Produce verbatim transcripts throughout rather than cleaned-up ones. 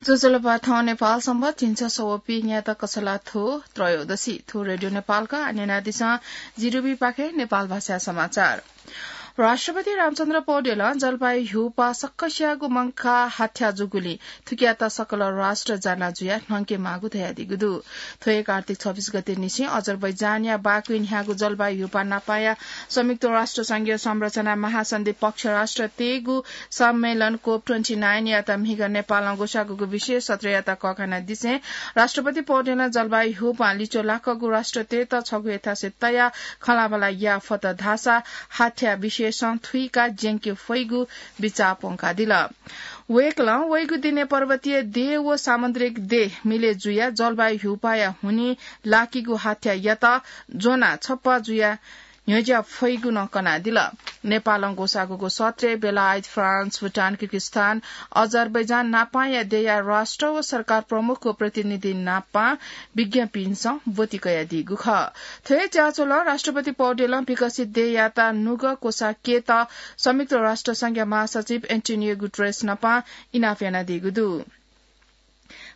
ज्वजलपा, थौं नेपाल संवत् झिंछसः व पीन्यात कछलाथ्व त्रयोदशी। थ्व रेडियो नेपालया न्यनादिसँ, जिरुबी पाखे नेपाल भाषा समाचार। राष्ट्रपति रामचन्द्र पौडेलं जलवायु ह्यूपाः सक्कसियागु मंकाः हाथ्या जूगुलिं थुकियात सकल राष्ट्र जाना जुयाः न्हंके माःगु धयादीगु दु। थ्व हे कार्तिक छब्बीस गते निसें अजरबैजानया बाकुइ न्ह्याःगु जलवायु ह्यूपाः नापांया संयुक्त राष्ट्र संघीय संरचना महासन्धि पक्ष राष्ट्र तेगु सम्मेलन कोप ट्वेन्टी नाइनयात म्हिगः नेपालं ग्वसाःगु विशेष सत्रयात कःघानादिसें राष्ट्रपति पौडेलं जलवायु ह्यूपां लिच्वः लाकःगु राष्ट्र तेत छगू हे थासय् तयाः खँल्हाबल्हा याये फत धाःसा हाथ्या विशेषं थुइकाः ज्यंके फइगु बिचाः प्वंकादिल। वय्कलं वइगु दिनय् पर्वतीय देय् व सामुद्रिक देय् मिले जुयाः जलवायु ह्यूपाःया हुनिं लाकीगु हाथ्यायात ज्वनाः छप्पा जुयाः न्ह्यज्या फइगु नं कनादिल। नेपालं ग्वसाःगु सत्रय् बेलायत, फ्रान्स, भुटान, किर्गिस्तान, अजरबैजान नापांया देय्‌या राष्ट्र व सरकार प्रमुख व प्रतिनिधि नापां विज्ञपिन्सं ब्वति कयादीगु खः। थ्व हे ज्याझ्वलं राष्ट्रपति पौडेलं विकसित देय्‌यात नुगः क्वसाः केत संयुक्त राष्ट्र संघया महासचिव एन्टोनियो गुटरेस नापां इनाप यानादीगु दु।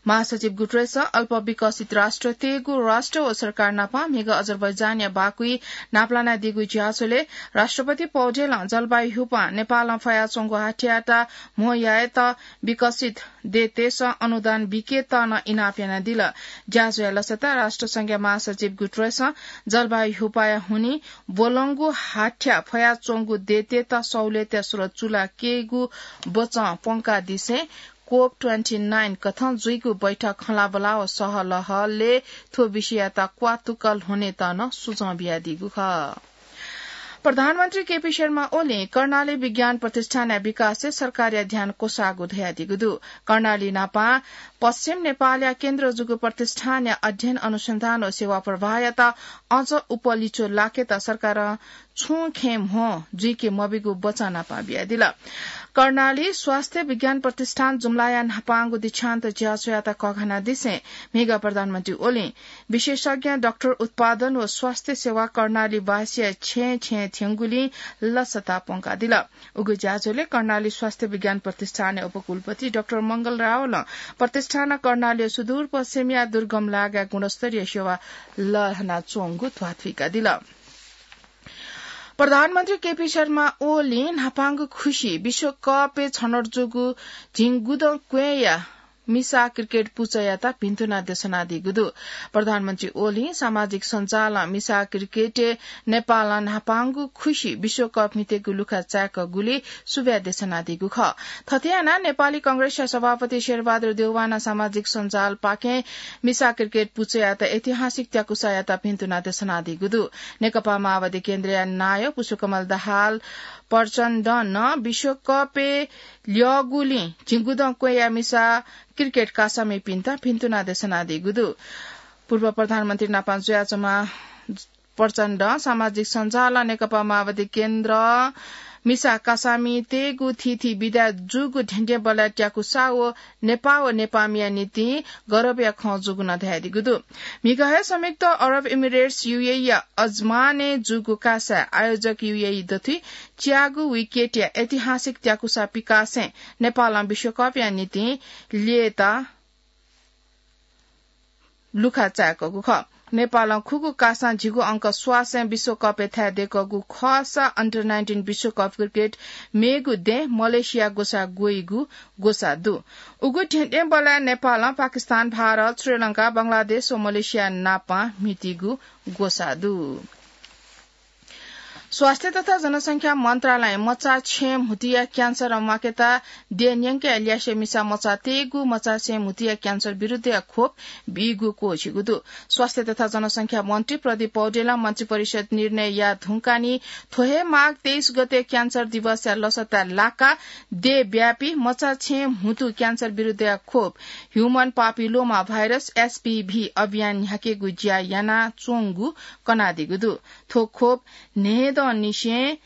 महासचिव गुटरेसं अल्प विकसित राष्ट्र तेगु राष्ट्र व सरकार नापां म्हिगः अजरबैजानया बाकुइ न्हापालानादीगु ज्याझ्वलय् राष्ट्रपति पौडेलं जलवायु ह्यूपां नेपालं फयाच्वंगु हाथ्यायात म्हो यायेत विकसित देय्‌तय्‌सं अनुदान बीकेत नं इनाप यानादिल। ज्याझ्वःया लसताय् राष्ट्र संघया महासचिव गुटरेसं जलवायु ह्यूपाःया हुनिं ब्वलंगु हाथ्या फयाच्वंगु देय्‌तय्‌त सहुलियतया स्रोत चूलाकेगु बचं प्वंकादिसें कोप ट्वेन्टी नाइन कथं जुइगु बैठक खँल्हाबल्हा व सहलहलय् थ्व विषययात क्वातुक ल्ह्वनेत नं सुझाव बियादीगु खः। प्रधानमन्त्री केपी शर्मा ओलीं कर्णाली विज्ञान प्रतिष्ठानया विकासय् सरकारया ध्यान क्वसाःगु धयादीगु दु। कर्णाली नापं पश्चिम नेपालया केन्द्र जूगु प्रतिष्ठानया अध्ययन अनुसन्धान व सेवा प्रवाहयात अझ उप लिच्वः लाकेत सरकारं छुं खँय् म्हो जुइके मबीगु बचं नापं बियादिल। कर्णाली स्वास्थ्य विज्ञान प्रतिष्ठान जुम्लाया न्हापांगु दीक्षान्त ज्याझ्वःयात कःघानादिसें म्हिगः प्रधानमन्त्री ओलीं विशेषज्ञ डाक्टर उत्पादन व स्वास्थ्य सेवा कर्णालीवासीया छेँय् छेँय् थ्यंगुलिं लसता प्वंकादिल। उगु ज्याझ्वलय् कर्णाली स्वास्थ्य विज्ञान प्रतिष्ठानया उपकुलपति डाक्टर मंगल रावलं प्रतिष्ठानं कर्णालीया सुदूरपश्चिमया दुर्गम लागाय् गुणस्तरीय सेवा लःल्हानाच्वंगु ध्वाथुइकादिल। प्रधानमन्त्री केपी शर्मा ओलीं न्हापांगु खुसि विश्वकपय् छनौट जूगु झिंगुदँ क्वँय्‌या मिसा क्रिकेट पुचःयात भिन्तुना देछानादीगु दु। प्रधानमन्त्री ओलीं सामाजिक सञ्जालं मिसा क्रिकेटय् नेपालं न्हापांगु खुसि विश्वकप म्हितेगु लुखा चाय्‌कूगुलिं सुभाय् देछानादीगु खः। थथे यानाः नेपाली कांग्रेसया सभापति शेरबहादुर देउवानं सामाजिक सञ्जालपाखें मिसा क्रिकेट पुचःयात ऐतिहासिक त्याकुसायात भिन्तुना देछानादीगु दु। नेकपा माओवादी केन्द्रया नायः पुष्पकमल दाहाल प्रचण्डं नं विश्वकपय् ल्यःगुलिं झिंगुदँ क्वँय्‌या मिसा क्रिकेट कासामिपिन्त भिन्तुना देछानादीगु दु। पूर्व प्रधानमन्त्री नापं जुयाच्वंम्ह प्रचण्डं सामाजिक सञ्जालं नेकपा माओवादी केन्द्रं मिसा कासामितय्‌गु थीथी विधाय् जूगु धेंधेंबलय् त्याकुसा व नेपाः व नेपाःमिया निंतिं गरबया खँ जूगु नं धयादीगु दु। म्हिगः हे संयुक्त अरब इमिरेट्स, यूएईया अजमानय् जूगु कासाय् आयोजक यूएई दथुइ च्यागू विकेटया ऐतिहासिक त्याकुसा पिकासें नेपालं विश्वकपया निंतिं ल्ययेत लुखा चाय्‌कूगु खः। नेपालं खुगू कासां झिगू अंक स्वासें विश्वकपय् थाय् दय्‌कूगु खःसा अन्डर नाइन्टिन विश्वकप क्रिकेट मेगु दँय् मलेसिया ग्वसाः ग्वइगु ग्वसाः दु। उगु धेंधेंबलय् नेपालं पाकिस्तान, भारत, श्रीलंका, बंगलादेश व मलेसिया नापं म्हितीगु ग्वसाः दु। स्वास्थ्य तथा जनसंख्या मन्त्रालयं मचाछेँ म्हुतुया क्यान्सर म्वाकेत देय् न्यंकया ल्यासे मिसा मचातय्‌गु मचाछेँ म्हुतुया क्यान्सर विरुद्धया खोप बीगु क्वःछिगु दु। स्वास्थ्य तथा जनसंख्या मन्त्री प्रदीप पौडेलं मन्त्रिपरिषद निर्णय याये धुंकाः नि थ्व हे माघ तेइस गते क्यान्सर दिवसया लसताय् लाकाः देय्‌व्यापी मचाछेँ म्हुतु क्यान्सर विरुद्धया खोप ह्युमन पापिलोमा भाइरस, एचपीभी, अभियान न्ह्याकेगु ज्या यानाच्वंगु कनादीगु दु। थ्व खोप न्हय्‌दँनिसें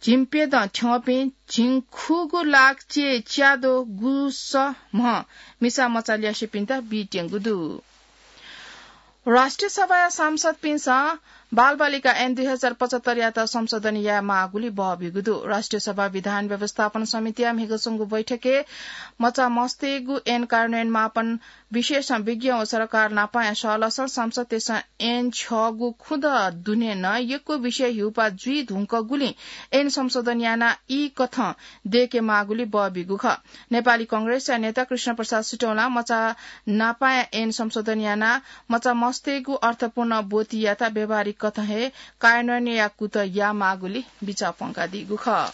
झिंप्यदँ थ्यंपिं झिंखुगू लाख च्यय् च्याद्वः गुसः म्ह मिसा मचा ल्यासेपिन्त बीत्यंगु दु। राष्ट्रिय सभाया सांसदपिन्सं बालबालिका ऐन दुई हजार पचहत्तरयात संशोधन यायेमाःगुली बहबीगु दु। राष्ट्रिय सभा विधान व्यवस्थापन समितिया म्हिगः च्वंगु बैठकय् मचा मस्तय्गु ऐन कार्यान्वयन मापन विषयसं विज्ञ व सरकार नापं या सहलसं संसदय्सं ऐन छ्यःगु खुदँ दुने नं यक्व विषय हिउपा जुइ धुंकूगुलिं ऐन संशोधन याना ई कथं दय्केमाःगुली बहबीगु खः। नेपाली कांग्रेसया नेता कृष्ण प्रसाद सिटौलां मचा नापं या ऐन संशोधन याना मचा मस्तय्गु अर्थपूर्ण ब्वतियात व्यावहारिक कथं हे कार्यान्वयन याये कुतः यायेमाःगुली बिचाः प्वंकादीगु खः।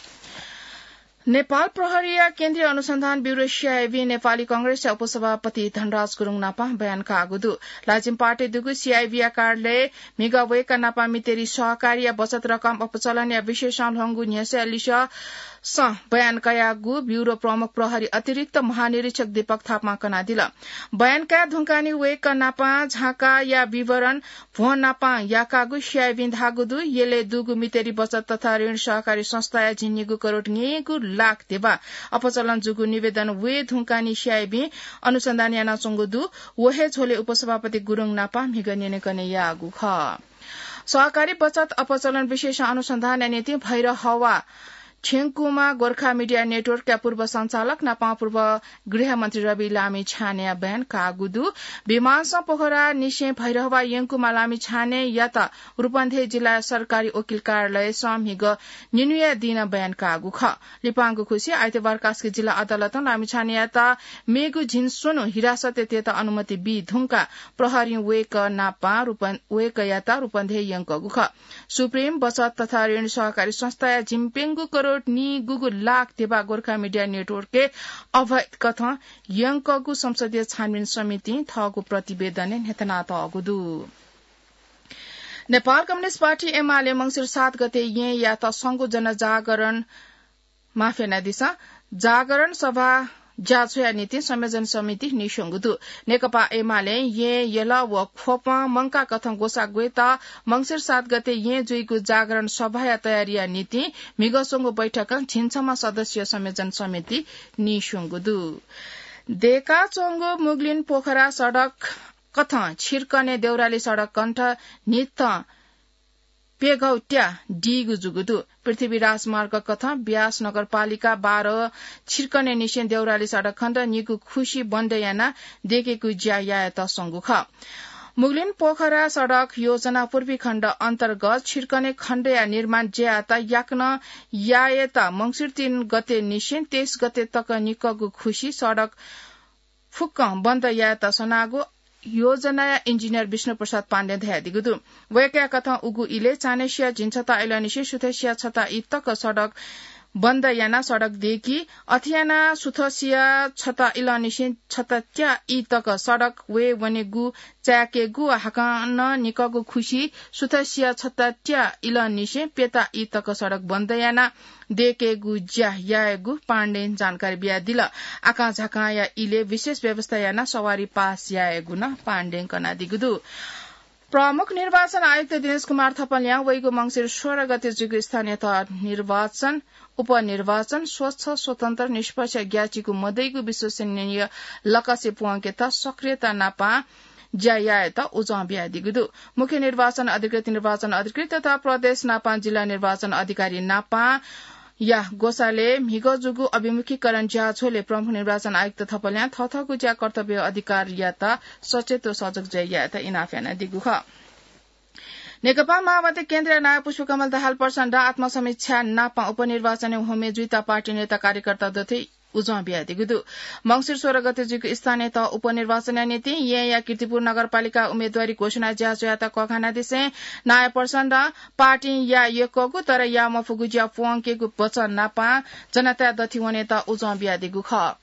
नेपाल प्रहरीया केन्द्रीय अनुसन्धान ब्यूरो, सीआईबी, नेपाली कांग्रेसया उपसभापति धनराज गुरुङ नापं बयान काःगु दु। लाजिम पार्टी दुगु सीआईबीया कार्यालयय् म्हिगः वय्कः नापं मितेरी सहकारीया बचत रकम अपचलनया विषयसं ल्ह्वंगु न्ह्यसःया लिसःसं बयान कयागु ब्यूरो प्रमुख प्रहरी अतिरिक्त महानिरीक्षक दीपक थापां कनादिल। बयान काये धुंकाः नि वय्कः नापं झाँकाया विवरण भ्वं नापं याकागु सीआईबीं धाःगु दु। यलय् दुगु मितेरी बचत तथा ऋण सहकारी संस्थाया झिंनिगू करोड न्यय्गू लाख ध्यबा अपचलन जूगु निवेदन वये धुंकाः नि सीआईबीं अनुसन्धान यानाच्वंगु दु। व हे झ्वलय् उपसभापति गुरुङ नापं म्हिगः न्यनेकने याःगु खः। सहकारी बचत अपचलन विषयसं अनुसन्धानया निंतिं भैरहवा थ्यंकूम्ह गोर्खा मिडिया नेटवर्कया पूर्व सञ्चालक नापं पूर्व गृहमन्त्री रवि लामिछानेया बयान काःगु दु। विमानसं पोखरानिसें भैरहवा यंकूम्ह लामिछानेयात रूपन्देही जिल्ला सरकारी वकिल कार्यालयसं म्हिगः निन्हुया दिं बयान काःगु खः। लिपांगु खुसि आइतबार कास्की जिल्ला अदालतं लामिछानेयात मेगु झिंस्वन्हु हिरासतय् तयेत अनुमति बी धुंकाः प्रहरीं वय्कः नापं रूपन-, वय्कःयात रूपन्देही यंकूगु खः। सुप्रिम बचत तथा ऋण सहकारी संस्थाया झिंप्यंगू करोड नीगूगू लाख ध्यबा गोर्खा मिडिया नेटवर्कय् अवैध कथं यंकूगु संसदीय छानबिन समितिं थःगु प्रतिवेदनय् न्ह्यथनातःगु दु। नेपाल कम्युनिस्ट पार्टी एमाले मंसिर सात गते येँयात संगु जनजागरण माफ यानादिसँ, जागरण सभा ज्याझ्वःया निंतिं संयोजन समिति नीस्वंगु दु। नेकपा एमालें येँ, यल व ख्वपं मंकाः कथं ग्वसाः ग्वयेत मंसिर सात गते येँ जुइगु जागरण सभाया तयारीया निंतिं म्हिगः स्वंगु बैठकं झिंछम्ह सदस्यीय संयोजन समिति नीस्वंगु दु। दय्काच्वंगु मुगलिन पोखरा सडक कथं छिर्कने देउराली सडक कण्ठ न्हिथं प्यघौ त्या दीगु जूगु दु। पृथ्वी राजमार्ग कथं ब्यास नगरपालिका बाह्र छिर्कनेनिसें देउराली सडक खण्ड निगू खुसि बन्द यानाः दय्केगु ज्या यायेत स्वंगु खः। मुगलिन पोखरा सडक योजना पूर्वी खण्ड अन्तर्गत छिर्कने खण्डया निर्माण ज्यायात याकनं यायेत मंसिर तीन गतेनिसें तेइस गते तक निकःगु खुसि सडक फुक्कं बन्द यायेत सनागु योजनाया इन्जिनियर विष्णु प्रसाद पाण्डें धयादीगु दु। वय्कःया कथं उगु इलय् चान्हय्सिया झिंछता इलंनिसें सुथसिया छता ई तक सडक बन्द यानाः सडक दय्की। अथे यानाः सुथसिया छता इलंनिसें छता त्या ई तक सडक वये वनेगु चाय्केगु व हाकनं निकःगु खुसि सुथसिया छता त्या इलंनिसें प्यता ई तक सडक बन्द यानाः दय्केगु ज्या यायेगु पाण्डें जानकारी बियादिल। आकांझाकांया इलय् विशेष व्यवस्था यानाः सवारी पास यायेगु नं पाण्डें कनादीगु दु। प्रमुख निर्वाचन आयुक्त दिनेश कुमार थपलियां वइगु मंसिर सोह्र गते जुइगु स्थानीय तह निर्वाचन, उपनिर्वाचन स्वच्छ, स्वतन्त्र, निष्पक्ष, ग्याःचिकु मदइगु विश्वसनीय लकसे प्वंकेत सक्रियता नापं ज्या यायेत उजं बियादीगु दु। मुख्य निर्वाचन अधिकृत, निर्वाचन अधिकृत तथा प्रदेश नापं जिल्ला निर्वाचन अधिकारी नापं या ग्वसालय् म्हिगः जूगु अभिमुखीकरण ज्याझ्वलय् प्रमुख निर्वाचन आयुक्त थपलियां थःथःगु ज्या कर्तव्य अधिकारीयात सचेत व सजग जुयाः यायेत इनाप यानादीगु खः। नेकपा माओवादी केन्द्रया नायः पुष्पकमल दाहाल प्रचण्डं आत्मसमीक्षा नापं उपनिर्वाचनय् होमे जुइत पार्टी नेता कार्यकर्ता दथुइ उजं बियादीगु दु। मंसिर सोह्र गते जुइगु स्थानीय तह उपनिर्वाचनया निंतिं येँया कीर्तिपुर नगरपालिका उम्मेदवारी घोषणा ज्याझ्वःयात कःघानादिसें नायः प्रचण्डं पार्टीं याये यक्वःगु तर याये मफुगु ज्या प्वंकेगु वचन नापं जनताया दथुइ वनेत उजं बियादीगु खः।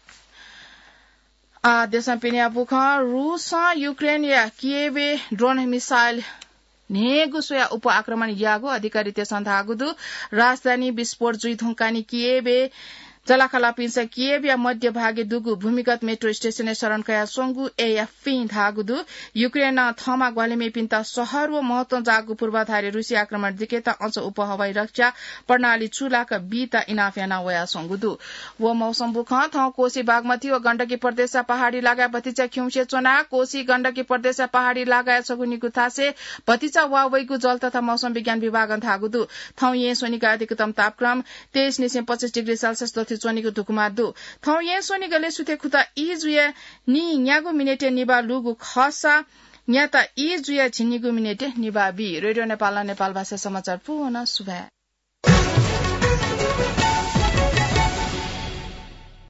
आः देशं पिनेया बुखँ। रूसं युक्रेनया कियेवय् ड्रोन मिसाइल न्हय्गू स्वयाः उप आक्रमण याःगु अधिकारीतय्सं धाःगु दु। राजधानी विस्फोट जुइ धुंकाः नि कियेवय् जलाखालापिन्सं कियेवया मध्य भागय् दुगु भूमिगत मेट्रो स्टेशनय् शरण कयाच्वंगु एएफपीं धाःगु दु। युक्रेनं थःमा ग्वाहालि मेपिन्त शहर व महत्वं जाःगु पूर्वाधारय् रुसी आक्रमण दिकेत अझ उपहवाई रक्षा प्रणाली चूलाक बीत इनाप याना वयाच्वंगु दु। व मौसम बुखँ थौं कोसी बागमती व गण्डकी प्रदेशया पहाडी लागाय् भतिचा खिउँसे च्वना। कोसी गण्डकी प्रदेशया पहाडी लागाय् छगू निगू थासय् भतिचा वा वइगु जल तथा मौसम विज्ञान विभागं धाःगु दु। थौं येँ स्वनिगु अधिकतम तापक्रम तेइस निसें पच्चिस डिग्री सेल्सियस दथुइ च्वनीगु धुकुमा दु। थौं येँ स्वनिगलय् सुथय् खुता ई जुया नीन्यागू मिनेटय् निभाः लूगु खःसा न्याता ई जुया झिंनिगू मिनेटय् निभाः बी। रेडियो नेपालं नेपाल भाषा समाचार पूवना। सुभाय्।